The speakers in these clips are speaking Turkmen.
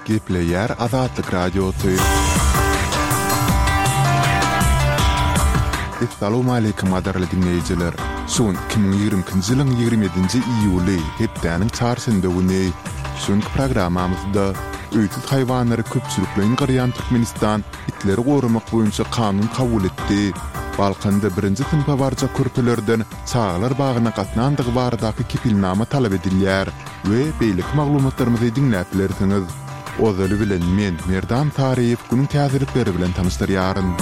Gepleýär Azatlyk Radiosy. Essalawmaleýkim gadyrly diňleýjiler! Şu gün 2022-nji ýylyň 27-nji iýuly, hepdäniň çarşenbe güni. Şu günki programmamyzda öýsüz haýwanlary köpçülikleýin gyrýan Türkmenistan itleri goramak boýunça kanun kabul etdi. Balkanda birinji synpa barjak körpelerden çagalar bagyna gatnandygy baradaky kepilnama talap edilýär we beýleki maglumatlarymyzy diňläp bilersiňiz. Ozaly bilen men, Merdan Saryýew günüň täzelikleri bilen tanyşdyrýaryn.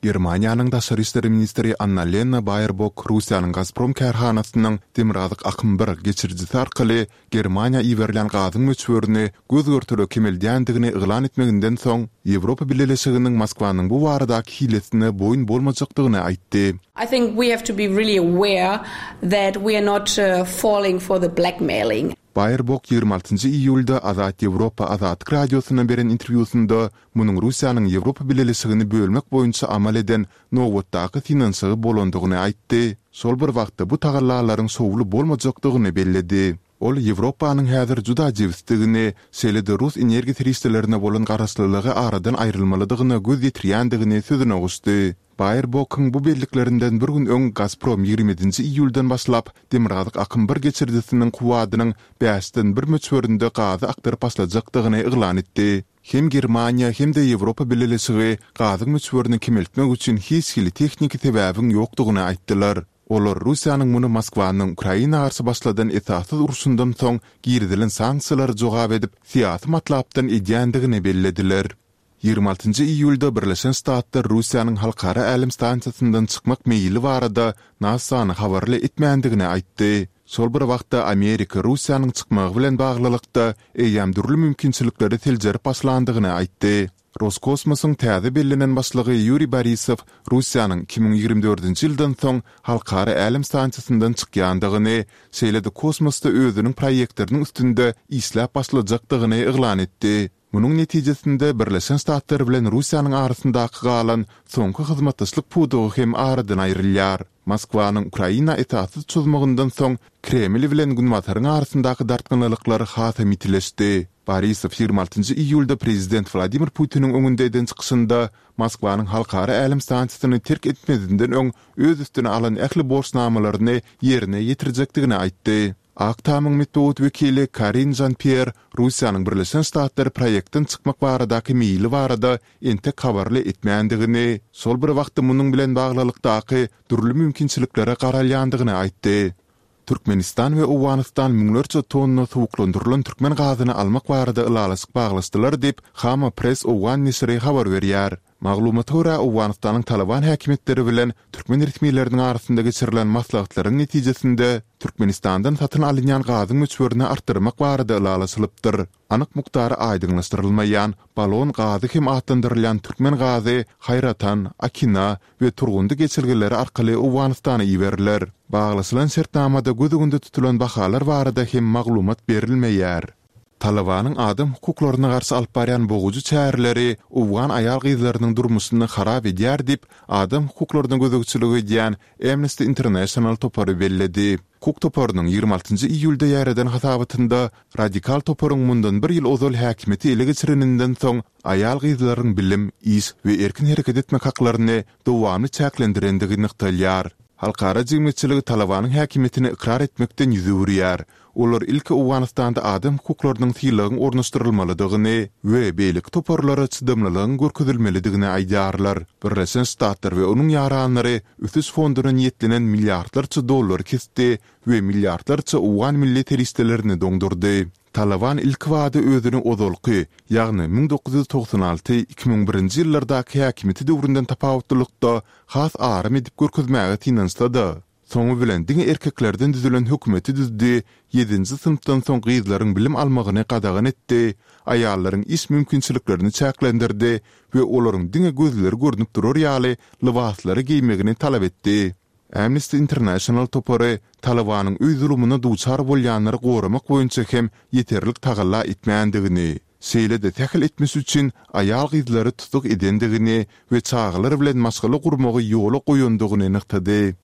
Germaniýanyň daşary işler ministri Annalena Baerbok Russiýanyň Gazprom kärhanasynyň Demirgazyk akym bir geçirijisi arkaly Germaniýa iberilýän gazyň möçberini göz-görtele kemeldýändigini yglan etmeginden soň, Ýewropa Bileleşiginiň Moskwanyň bu baradaky hilesine boýun bolmajakdygyny aýtdy. I think we have to be really aware that we are not falling for the blackmailing. Baerbok 26 iýulda Azat Ýewropa Azatlyk Radiosyna beren interwýusynda munuň Russiýanyň Ýewropa Bileleşigini bölmek boýunça amal eden nobatdaky synanyşygy bolandygyny aýtdy, şol bir wagtda bu tagallalaryň şowly bolmajakdygyny belledi. Ol Ýewropanyň häzir juda jebisdigini, şeýle-de rus energiýa serişdelerine bolan garaşlylygy aradan aýrylmalydygyna göz ýetirýändigini sözüne goşdy. Baerbokyň bu belliklerinden bir gün öň Gazprom 27-nji iýuldan başlap Demirgazyk akym bir geçirijisiniň kuwwadynyň bäşden bir möçberinde gazy akdyryp başlajakdygyny yglan etdi. Hem Germaniýa, hem-de Ýewropa Bileleşigi gazyň möçberini kemeltmek üçin hiç hili tehniki sebäbiň ýokdugyny aýtdylar. Olar Russiýanyň muny Moskwanyň Ukraina garşy başladan esassyz urşundan soň girizilen sanksiýalara jogap edip, syýasy matlapdan edýändigini bellediler. 26 iýulda Birleşen Ştatlar Russiýanyň Halkara älem stansiýasyndan çykmak meýili barada NASA-ny habarly etmändigini aýtdy. Şol bir wagtda Amerika Russiýanyň çykmagy bilen baglylykda eýýäm dürli mümkinçilikleri seljerip başlandygyny aýtdy. Roskosmosyň täze bellenen başlygy Ýuriý Borisow Russiýanyň 2024-nji ýyldan soň Halkara älem stansiýasyndan çykýandygyny, şeýle-de kosmosda özüniň proýektleriniň üstünde işläp başlajakdygyny yglan etdi. Munuň netijesinde Birleşen Ştatlar bilen Russiýanyň arasyndaky galan soňky hyzmatdaşlyk pudagy hem aradan aýrylýar. Moskwanyň Ukraina esassyz çozmagyndan soň Kreml bilen Günbataryň arasyndaky dartgynlylyklar hasam ýitileşdi. Borisow 26 iýulda prezident Wladimir Putiniň öňünde eden çykyşynda Moskwanyň Halkara älem stansiýasyny terk etmezinden öň öz üstüne alan ähli borçnamalaryny ýerine ýetirjekdigini aýtdy. Ak Tamyň metbugat wekili Karin Žan-Pýer Russiýanyň Birleşen Ştatlary proýektden çykmak baradaky meýili barada entek habarly etmändigini, şol bir wagtda munuň bilen baglylykdaky dürli mümkinçiliklere garalýandygyny aýtdy. Türkmenistan we Owganystan müňlerçe tonna suwuklandyrylan türkmen gazyny almak barada ylalaşyk baglaşdylar diýip, Khaama Press owgan neşiri habar berýär. Maglumata görä, Owganystanyň Talyban häkimiýetleri bilen türkmen resmileriniň arasynda geçirilen maslahatlaryň netijesinde, Türkmenistandan satyn alynýan gazyň möçberini artdyrmak barada ylalaşylypdyr. Anyk mukdary aýdyňlaşdyrylmaýan, balon gazy hem atlandyrylýan türkmen gazy Haýratan, Akina we Turgundy geçelgeleri arkaly Owganystana iberiler. Baglaşylan şertnamada göz öňünde tutulan bahalar barada hem maglumat berilmeýär. Talybanyň adam hukuklaryna garşy alyp barýan bogujy çäreleri owgan aýal-gyzlarynyň durmuşyny harap edýär diýip, adam hukuklaryna gözegçilik edýän Amnesty International topary belledi. Hukuk toparynyň 26 iýulda ýaýradan hasabatynda radikal toparyň mundan bir ýyl ozal häkimiýeti ele geçireninden soň aýal-gyzlaryň bilim, iş we erkin hereket etmek haklaryny dowamly çäklendirendigi nygtalýar. Halkara jemgyýetçiligi Talybanyň häkimiýetini ykrar etmekden ýüz öwürýär. Olar ilki Owganystanda adam hukuklarynyň sylagyň ornaşdyrylmalydygyny we beýleki toparlara çydamlylygyň görkezilmelidigini aýdýarlar. Birleşen Ştatlar we onuň ýaranlary ösüş fonduna niýetlenen milliardlarça dollary kesdi we milliardlarça owgan milli serişdelerini doňdurdy. Talyban ilkibada özüni ozalky, ýagny 1996, 2001-nji ýyllardaky häkimiýeti döwründen tapawutlylykda has aram edip görkezmäge synanyşsa-da, Soňy bilen diňe erkeklerden düzülen hökümeti düzdi, ýedinji synpdan soň gyzlaryň bilim almagyny gadagan etdi, aýallaryň iş mümkinçiliklerini çäklendirdi we olaryň diňe gözleri görnüp durar ýaly lybaslary geýmegini talap etdi. Amnesty International topary Talybanyň öý zulumyna duçar bolýanlary goramak boýunça hem ýeterlik tagalla etmändigini, şeýle-de sähel etmiş üçin aýal-gyzlary tussag edendigini we çagalar bilen maşgala gurmagy ýola goýandygyny nygtady.